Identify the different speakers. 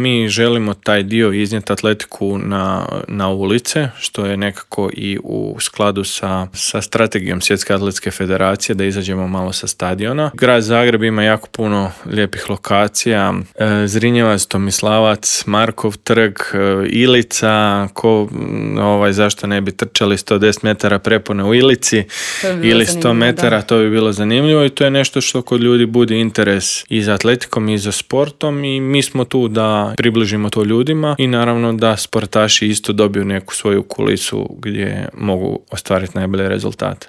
Speaker 1: Mi želimo taj dio iznijeti atletiku na ulice, što je nekako i u skladu sa strategijom Svjetske atletske federacije, da izađemo malo sa stadiona. Grad Zagreb ima jako puno lijepih lokacija, Zrinjevac, Tomislavac, Markov trg, Ilica, zašto ne bi trčali 110 metara prepone u Ilici ili 100 metara, da. To bi bilo zanimljivo i to je nešto što kod ljudi budi interes i za atletikom i za sportom i mi smo tu da približimo to ljudima i naravno da sportaši isto dobiju neku svoju kulisu gdje mogu ostvariti najbolje rezultate.